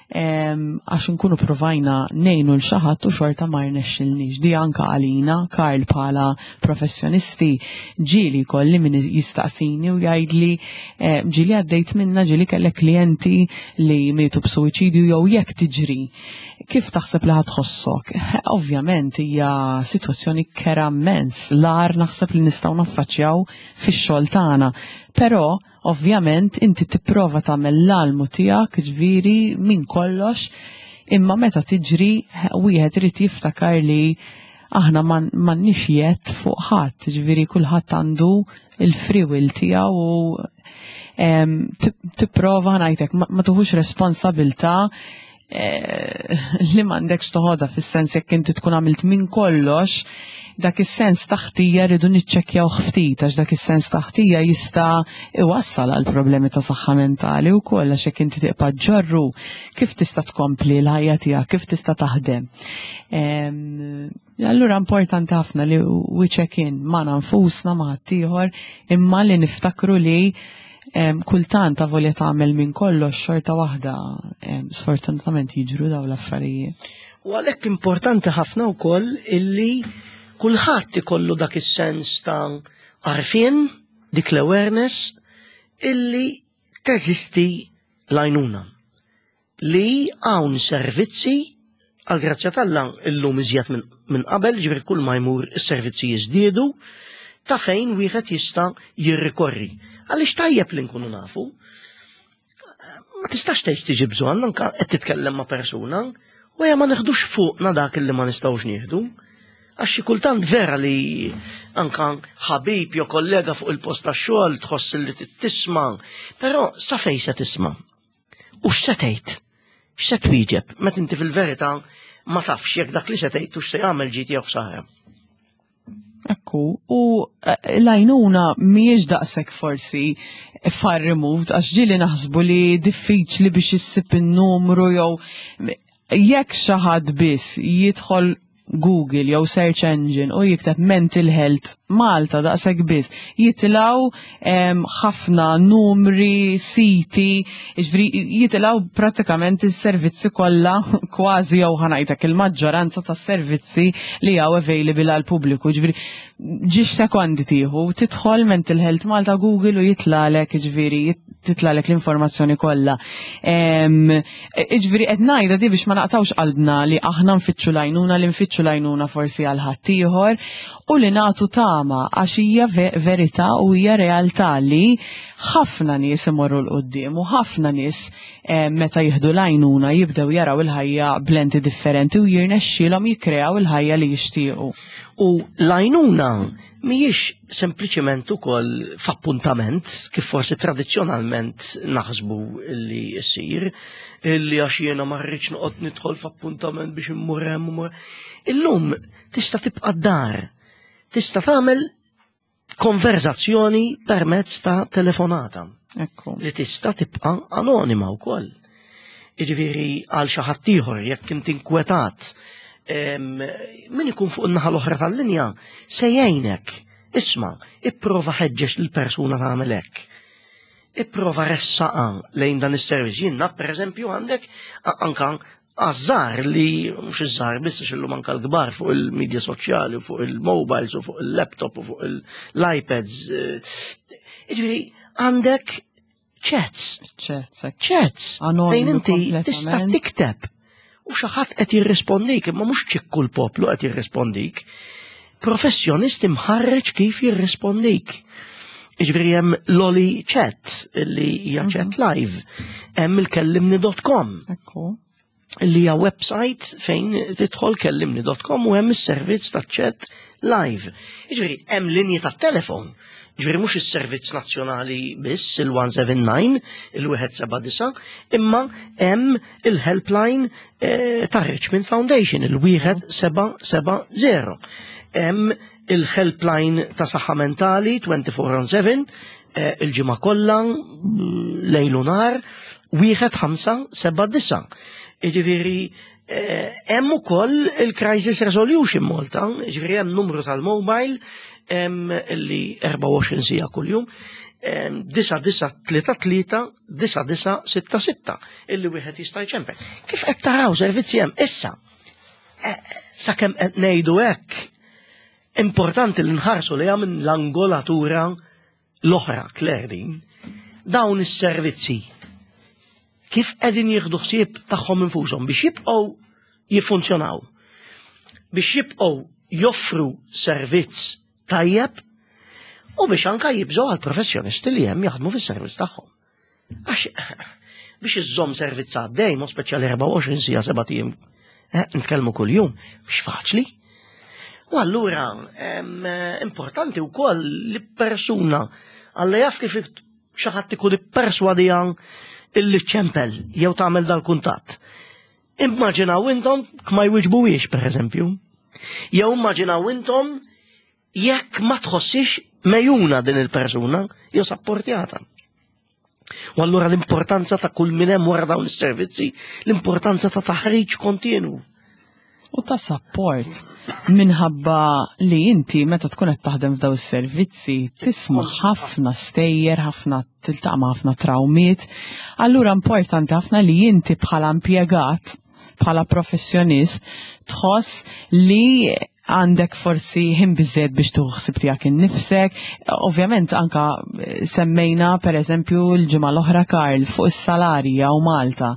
ehm, għax nkunu provajna nejnu l xaħat u xorta ma rnexxilniex. Di anka għalina, Karl bħala professjonisti, ġieli kolli min jistaqsini u jgħidli eh, ġieli għaddejt minna ġieli kellek klijenti li mietu b'suwiċidju jew jekk tiġri Kif taħseb li ħatħossok? Ovvjament hija sitwazzjoni kera immens, l-agħar naħseb li nistgħu naffaċċjaw fix-xogħol tagħna. Però ovvjament inti tipprova tagħmel l-almu tiegħek, ġifieri minn kollox, imma meta tiġri wieħed irid jiftakar li aħna m'għandniex jedd fuq ħadd, ġifieri kulħadd għandu il-free will tiegħu u tipprova ngħidlek ma tuħux responsabilità eh, li m'għandekx toħodha fis-sens jekk inti tkun għamilt minn kollox dak is-sens taħtija rridu niċċekkjaw ftit għax dak is-sens taħtija jista' iwassal għal problemi ta' saħħa mentali wkoll għax jekk inti tibqa' ġorru kif tista' tkompli l-ħajja tiegħek, kif tista' taħdem. Allura importanti ħafna li we check in ma' nfusna ma' ħaddieħor imma li niftakru li kultant avolja tagħmel minn kollox xorta waħda sfortunatament jiġru daw l-affarijiet. U għalhekk importanti ħafna wkoll illi kulħadd ikollu dak is-sens ta' għarfien, dik l-awareness illi teżisti l-għajnuna. Li hawn servizzi għal grazzja t'Alla illum iżjed minn qabel, ġifieri kull ma jmur is-servizzi jiżdiedu, ta' fejn wieħed jista' jirrikorri. Għaliex tajjeb li nkunu nafu. Ma tistax tgħid tiġi bżonn anke qed titkellem ma' persuna u ja ma neħdux fuqna dak li ma nistgħux nieħdu. Għax xi kultant vera li anka ħabib jew kollega fuq il-post tax-xogħol tħoss li tisma', però sa fejn se tisma'? U x'se tgħid? X'se twieġeb meta inti fil-verità ma tafx jekk dak li se tgħid hux se jagħmel ġid jew ħsara. Ekku, u eh, l-għajnuna mhijiex daqshekk forsi far removed, għax ġieli naħsbu li diffiċli biex issib in-numru jew jekk xi ħadd biss jidħol Google jew search engine u jikteb mental health Malta daqshekk biss jitilgħu ħafna numri, siti, jiġifieri jitilgħu prattikament is-servizzi kollha kważi jew ħa ngħidlek il-maġġoranza tas-servizzi li hawn available għall-pubbliku. Jiġifieri ġiex sekondi tieħu, tidħol Mental Health Malta Google u jitlalek, jiġifieri titlalek l-informazzjoni kollha. Iġviri qed ngħidha di biex ma naqtawx qalbna li aħna nfittxu l-għajnuna li nfittxu l-għajnuna forsi għal ħaddieħor u li nagħtu tama għax hija verità u hija realtà li ħafna nies imorru 'l quddiem u ħafna nies eh, meta jieħdu l-għajnuna jibdew jaraw il-ħajja b'lenti differenti u jirnexxielhom jikkreaw il-ħajja li jixtiequ. U l-għajnuna mhijiex sempliċement ukoll f'appuntament kif forsi tradizzjonalment naħsbu li jsir, illi għax jiena ma rridx noqgħod nidħol f'appuntament biex immur hemm. Illum tista' tibqa' d-dar, tista' tagħmel konverzazzjoni permezz ta' telefonata. Ekku. Li tista' tibqa' anonima wkoll. Jiġifieri għal xi ħadd ieħor jekk inti inkwetat min ikun fuq in-naħa l-oħra tal-linja se jgħinek. Isma', ipprova ħeġġeġ lill-persuna tagħmel hekk. Ipprova ressaqa lejn dan is-servizz. Jien naf pereżempju għandek anka għaż-żgħar li mhux iż-żgħar biss għax illum anka l-kbar fuq il-medja soċjali u fuq il-mobiles u fuq il-laptop u fuq l-iPads. Eh, jiġifieri għandek Chats. Chats, Chats. Fejn inti tista' tikteb u xi ħadd qed jirrispondik, imma mhux ċikku l-poplu qed jirrispondik. Professjonist imħarreġ kif jirrispondik. Iġveri hemm Loli Chat, li hija chat live, hemm il-kellimni.com. Ekku. Li hija website fejn tidħol kellimni.com u hemm is-servizz ta' chat live. Jiġifieri hemm linji ta' telefon. Jiġifieri mhux is-servizz nazzjonali biss il-179, il-179, imma hemm il-helpline eh, ta' Richmond Foundation, il-1770. Hemm il-helpline ta' saħħa mentali 24/7 eh, il-ġimgħa kollha lejl u nhar wieħed ħamsa seba' disa. Jiġifieri eh, hemm ukoll il-Crisis Resolution Malta, jiġifieri hemm numru tal-mobile li 24 sija kuljum, 9933 9966 illi wieħed jista' jċempel. Kif qed taraw servizzi hemm issa? Eh, sakemm qed ngħidu hekk, importanti li nħarsu li minn l-angolatura l-oħra, Claire din, dawn is-servizzi kif qegħdin jieħdu ħsieb tagħhom infushom biex jibqgħu jiffunzjonaw, biex jibqgħu joffru servizz tajjeb u biex anka jibżgħu għal professjonisti li hemm jaħdmu fis-servizz tagħhom. Għax biex iżżomm servizz għaddej, mod speċjali 24 sija seba' ijiem, eh, nitkellmu kuljum, mhux faċli. U allura importanti wkoll li persuna għalla jaf kif xi ħadd ikun ipperswadija illi ċempel jew tagħmel dal-kuntatt. Immaġinaw intom ma jwiġbuwiex pereżempju. Jew immaġinaw intom jekk ma tħossix mejuna din il-persuna jew sapportjata. U allura l-importanza ta' kull min hemm wara dawn is-servizzi, l-importanza ta' taħriġ kontinu. U ta' support minħabba li inti meta tkun qed taħdem f'daw is-servizzi tisma' ħafna stejjer, ħafna tiltaqa' ma' ħafna trawmiet. Allura importanti ħafna li inti bħala impjegat, bħala professjonist tħoss li għandek forsi ħin biżżejjed biex tieħu ħsieb tiegħek innifsek. Ovvjament anka eh, semmejna per eżempju l-ġimgħa l-oħra Karl fuq is-salarji hawn Malta.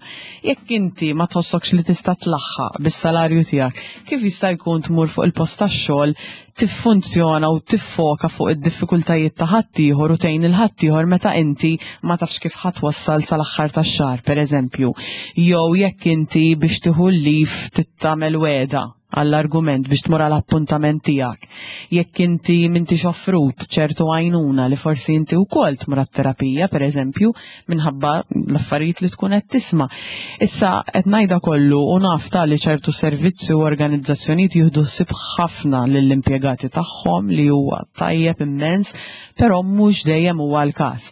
Jekk inti ma tħossokx li tista' tlaħħaq bis-salarju tiegħek, kif jista' jkun tmur fuq il-post tax-xogħol tiffunzjona u tiffoka fuq id-diffikultajiet ta' ħaddieħor u tgħin il ħaddieħor meta inti ma tafx kif ħa twassal sal-aħħar tax-xahar, pereżempju. Jew jekk inti biex tieħu l-leave tittamel wegħda għall-argument biex tmur għal appuntament tiegħek. Jekk inti m'intix offrut ċertu għajnuna li forsi inti wkoll tmur għat-terapija, pereżempju, minħabba l-affarijiet li tkun qed tisma'. Issa qed ngħidha kollu u naf ta' li ċertu servizzi u organizzazzjonijiet jieħdu ħsieb ħafna lill-impjegati tagħhom li huwa tajjeb immens, però mhux dejjem huwa l-każ.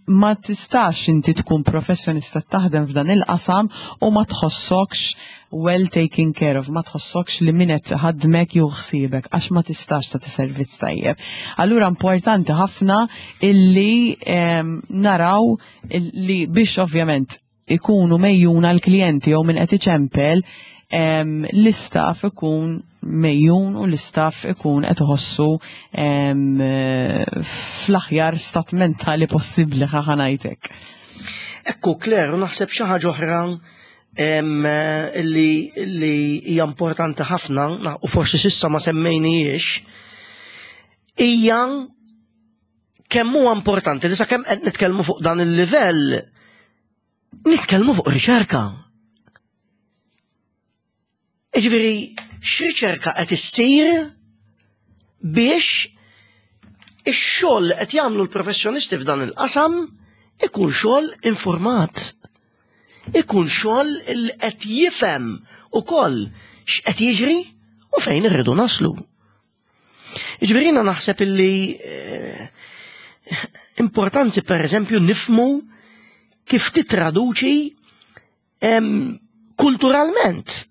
Ma tistax inti tkun professjonista taħdem f'dan il-qasam u ma tħossokx well taken care of, ma tħossokx li min qed ħadmek jew ħsiebek għax ma tistax tagħti servizz tajjeb. Allura importanti ħafna illi naraw li biex ovvjament ikunu mejjuna l-klijenti jew min qed iċempel l-istaff ikun mejjun u l-istaff ikun qed iħossu fl-aħjar stat mentali possibbli ħa ngħidlek. Ekku, Claire, naħseb xi ħaġa oħra li hija importanti ħafna u forsi s'issa ma semmejnijiex hija kemm huwa importanti li sakemm qed nitkellmu fuq dan il-livell nitkellmu fuq riċerka. Jiġifieri, x'riċerka qed issir biex ix-xogħol li qed jagħmlu l-professjonisti f'dan il-qasam ikun xogħol informat. Ikun xogħol li qed jifhem ukoll x'qed jiġri u fejn irridu naslu. Jiġifieri jiena naħseb illi eh, importanti per eżempju nifmu kif titraduċi kulturalment.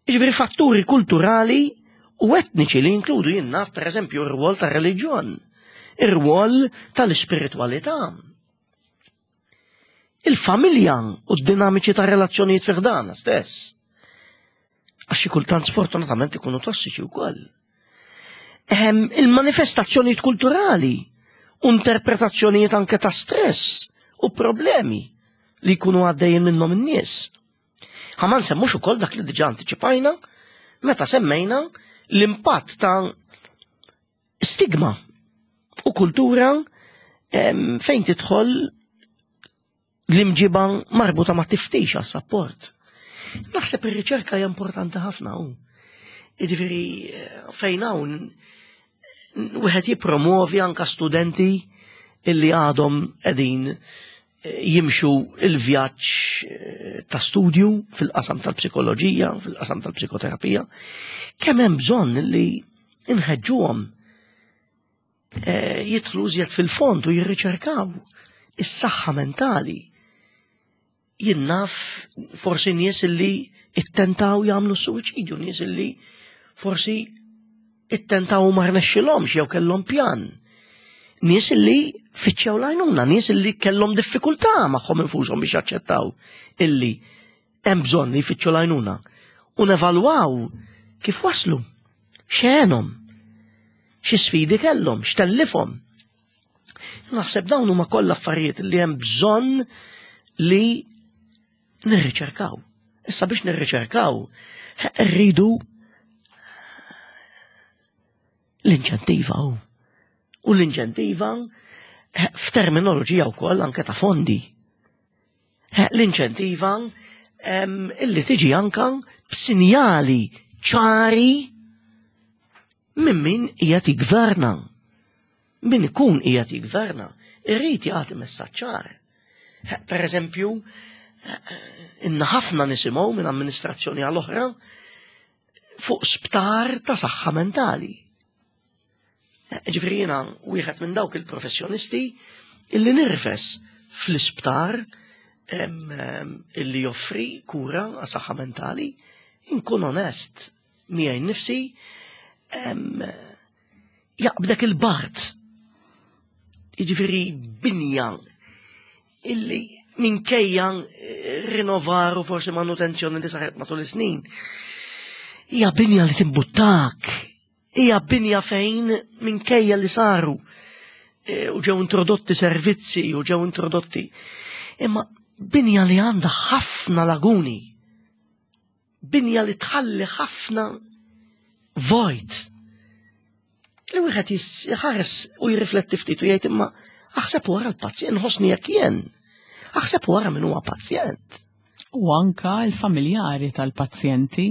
Jiġifieri fatturi kulturali u etniċi li jinkludu jien naf per eżempju ir-rwol tar-reliġjon, ir-rwol tal-ispiritwalità. Il-familja u d-dinamiċi ta' relazzjonijiet fi ħdana stess. Għax xi kultant sfortunatament ikunu tossiċi wkoll. Ehm, il-manifestazzjonijiet kulturali u interpretazzjonijiet anke ta' stress u problemi li jkunu għaddejjin minnhom in-nies. Ħa ma nsemmux ukoll dak li diġà antiċipajna meta semmejna l-impatt ta' stigma u kultura fejn tidħol l-imġiba marbuta ma' tiftix għas sapport. Naħseb ir-riċerka hija importanti ħafna hu. Jiġifieri fejn hawn wieħed jippromovi anka studenti illi għadhom qegħdin eh, jimxu il-vjaġġ eh, ta' studju fil-qasam tal-psikoloġija, fil-qasam tal-psikoterapija, kemm hemm bżonn li nħeġġuhom eh, jidħlu iżjed fil-fond u jirriċerkaw is-saħħa mentali. Jien naf forsi nies illi ittentaw jagħmlu suwiċidju, nies illi forsi ittentaw u ma rnexxilhomx jew kellhom pjan. Nies illi fittxew l-għajnuna, nies illi kellhom diffikultà magħhom infushom biex jaċċettaw illi hemm bżonn li jfittxu l-għajnuna u nevalwaw kif waslu, x'għenhom, xi sfidi kellhom, x'tellifhom. Naħseb dawn huma kollha affarijiet li hemm bżonn li nirriċerkaw. Issa biex nirriċerkaw, rridu l-inċentiva u. U l-inċentiva f'terminoloġija wkoll anke ta' fondi. L-inċentiva illi tiġi anka b'sinjali ċari minn min qiegħed jigverna. Min ikun qiegħed jigverna, irrid jagħti messaġġ ċar. Per eżempju, inna ħafna nisimgħu minn amministrazzjoni għal oħra fuq sptar ta' saħħa mentali. Ġifieri jiena wieħed minn dawk il-professjonisti illi nirfes fl-isptar illi joffri kura għas saħħa mentali, inkun onest miegħi nnifsi jaqbdek il-bart. Jiġifieri binja illi minkejja eh, rinnovar u forsi manutenzjoni li saret matul is-snin. Hija binja li timbuttak, hija binja fejn minkejja li saru eh, u ġew introdotti servizzi u ġew introdotti. Imma binja li għandha ħafna laguni binja li tħalli ħafna vojt. Li wieħed jħares u jirrifletti ftit u jgħid imma aħseb wara l-pazjent, ħossni jekk jien. Aħseb wara min huwa pazjent. U anka l-familjari tal-pazjenti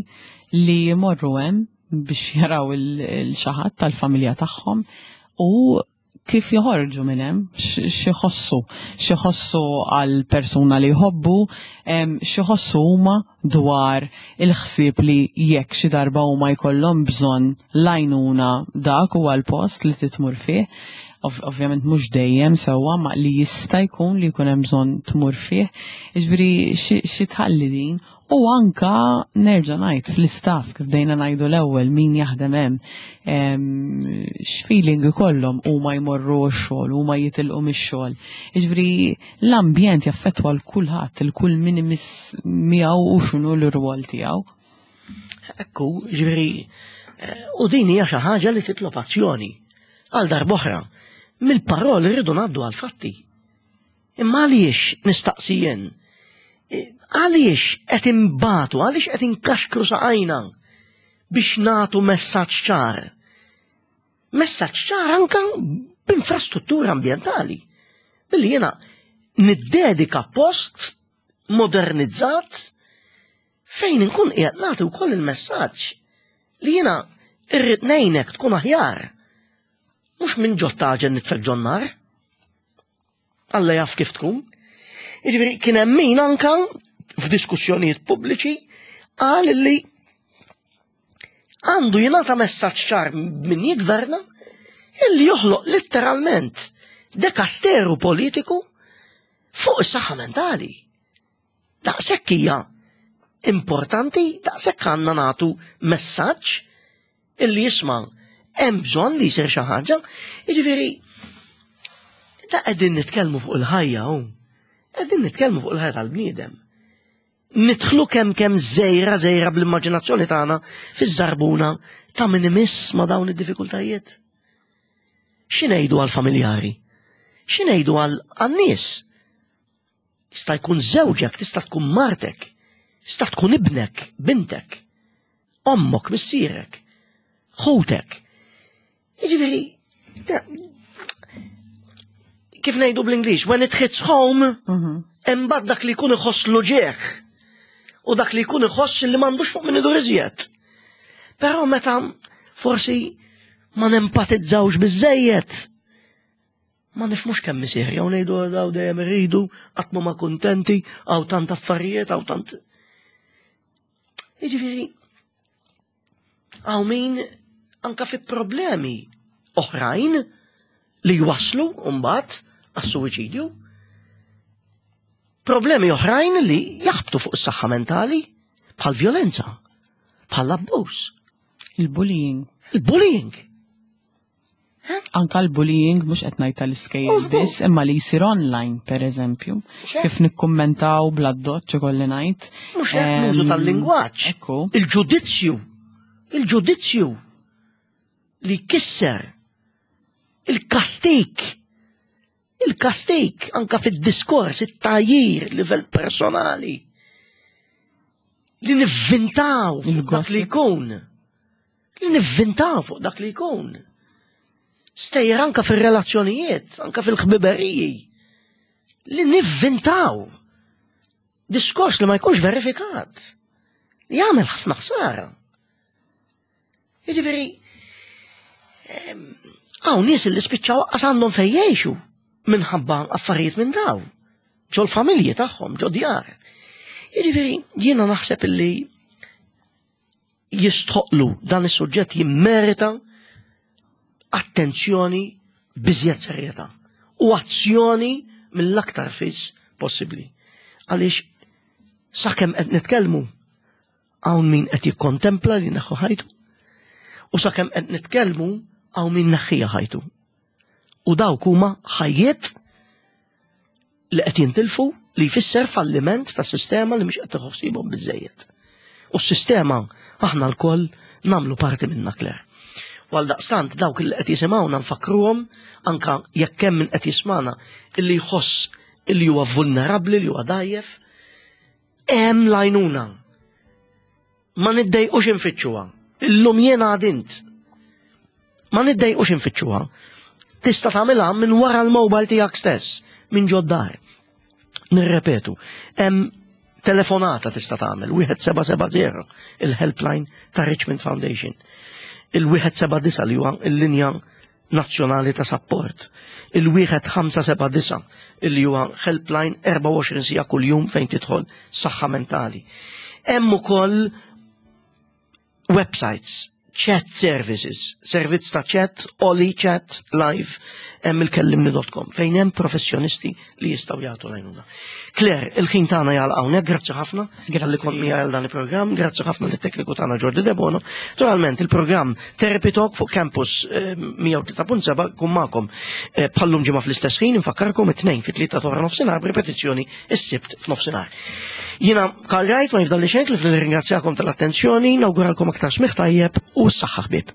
li jmorru hemm biex jaraw il-xaħat tal-familja tagħhom u kif joħorġu minn hemm, x'iħossu, x'iħossu għal persuna li jħobbu, x'iħossu huma dwar il-ħsieb li jekk xi darba huma jkollhom bżonn l-għajnuna dak huwa l-post li titmur fih. Ovvjament mhux dejjem sewwa ma li jista' jkun li jkun hemm bżonn tmur fih. Jiġifieri xi tħalli din U anka nerġa' ngħid fl-istaff kif bdejna ngħidu l-ewwel min jaħdem hemm x'feeling ikollhom huma jmorru x-xogħol, huma jitilqu mix-xogħol. Jiġifieri l-ambjent jaffettwa l kulħadd, il kull min imiss miegħu u x'inhu l-irwol tiegħu. Ekku, jiġifieri eh, u din hija xi ħaġa li titlob azzjoni għal darb'oħra. Mill-paroli rridu ngħaddu għal fatti. Imma għaliex nistaqsi jien? E, għaliex qed imbatu, għaliex qed inkaxkru saqajna biex nagħtu messaġġ ċar? Messaġġ ċar anka b'infrastruttura ambjentali. Billi jiena niddedika post modernizzat fejn inkun qiegħed nagħti wkoll il-messaġġ li jiena irrid ngħinek tkun aħjar. Mhux minn ġottaġen nitfek ġonnar. Alla jaf kif tkun. Jiġifieri kien hemm min anka f'diskussjonijiet pubbliċi qal li għandu jingħata messaġġ ċar min jigverna illi joħloq letteralment dekasteru politiku fuq is-saħħa mentali. Daqshekk hija importanti, daqshekk għandna nagħtu messaġġ illi jisma' hemm bżonn li jsir xi ħaġa. Jiġifieri da qegħdin nitkellmu fuq il-ħajja hu. Qegħdin nitkellmu fuq il-ħajja tal-bniedem. Nidħlu kemm kemm żejra żejra bl-immaġinazzjoni tagħna fiż-żarbuna ta' min imiss ma' dawn id-diffikultajiet. Xi ngħidu għall-familjari? X'ingħidu għal nies? Jista' jkun żewġek, tista' tkun martek, tista' tkun ibnek, bintek, ommok, missierek, ħutek. Jiġifieri, kif ngħidu bl-Ingliż, when it hits home, imbagħad dak li jkun iħoss l-uġigħ u dak li jkun iħoss li m'għandux fuq min idur iżjed. Però meta forsi ma nempatizzawx biżejjed, ma nifhmux kemm isir, jew ngħidu daw dejjem iridu, qatt ma kuntenti, hawn tant affarijiet, hawn tant. Jiġifieri, hawn min anka fi problemi oħrajn li jwaslu mbagħad għas-suwiċidju. Problemi oħrajn li jaħbtu fuq is-saħħa mentali bħal violenza, bħal abbuż. Il-bullying. Il-bullying. Anka l-bullying mhux qed ngħid tal-iskejjel biss, imma li jsir online pereżempju. Kif nikkummentaw bl-addoċċ ikolli ngħid. Mhux hekk l-użu tal-lingwaġġ. Ekku. Il-ġudizzju. Il-ġudizzju li kisser il-kastik. Il-kastik anka fid-diskors, it-tajjir, livell personali. Li nivvintaw dak li jkun. Li nivvintaw fuq dak li jkun. Stejjer anka fil-relazzjonijiet, anka fil-ħbiberiji. Li nivvintaw. Diskors li ma jkunx verifikat. Li jagħmel ħafna ħsara. Jiġifieri, hawn nies li spiċċaw qas għandhom fejn jgħixu minħabba affarijiet minn daw. Ġol familji tagħhom, ġo djar. Jiġifieri, jiena naħseb illi jistħoqlu dan is-suġġett jimmerita attenzjoni b'iżjed serjetà u azzjoni mill-aktar fis possibbli. Għaliex sakemm qed nitkellmu hawn min qed jikkontempla li neħħu ħajtu u sakemm qed nitkellmu hawn min neħħija ħajtu. U dawk huma ħajjiet li qed jintilfu li jfisser falliment ta' sistema li mhix qed tħossibhom biżejjed. U s-sistema aħna lkoll nagħmlu parti minna Claire. U għal daqstant dawk li qed jisimgħuna nfakruhom anka jekk hemm min qed jismana illi jħoss illi huwa vulnerabbli li huwa dajjef, hemm l-għajnuna. Ma niddejqux infittxuha. Illum jiena għadint. Ma niddejqux infittxuha. Tista' tagħmilha minn wara l-mobile tiegħek stess, minn ġod-dar. Nirrepetu, hemm telefonata tista' tagħmel 1770 il-helpline ta' Richmond Foundation. Il-179 li huwa l-linja nazzjonali ta' sapport. Il-1579 illi huwa helpline 24 siegħa kuljum fejn tidħol saħħa mentali. Hemm ukoll websites, chat services, servizz ta' chat, Oli Chat Live, hemm il-kellimni.com fejn hemm professjonisti li jistgħu jagħtu l-għajnuna. Claire, il-ħin tagħna jagħlaq hawnhekk, grazzi ħafna li kont miegħi għal dan il-programm, grazzi ħafna lit-tekniku tagħna Jordi Debono. Naturalment il-programm Therapy Talk fuq Campus 103.7 kun magħkom bħallum ġimgħa fl-istess ħin, infakkarkom it-tnejn fit-tlieta ta' nofsinhar b'ripetizzjoni is-Sibt f'nofsinhar. Jiena Karl Wright ma jifdalli xejn li nirringrazzjakom tal-attenzjoni, nawguralkom aktar smigħ tajjeb u s-saħħa ħbieb.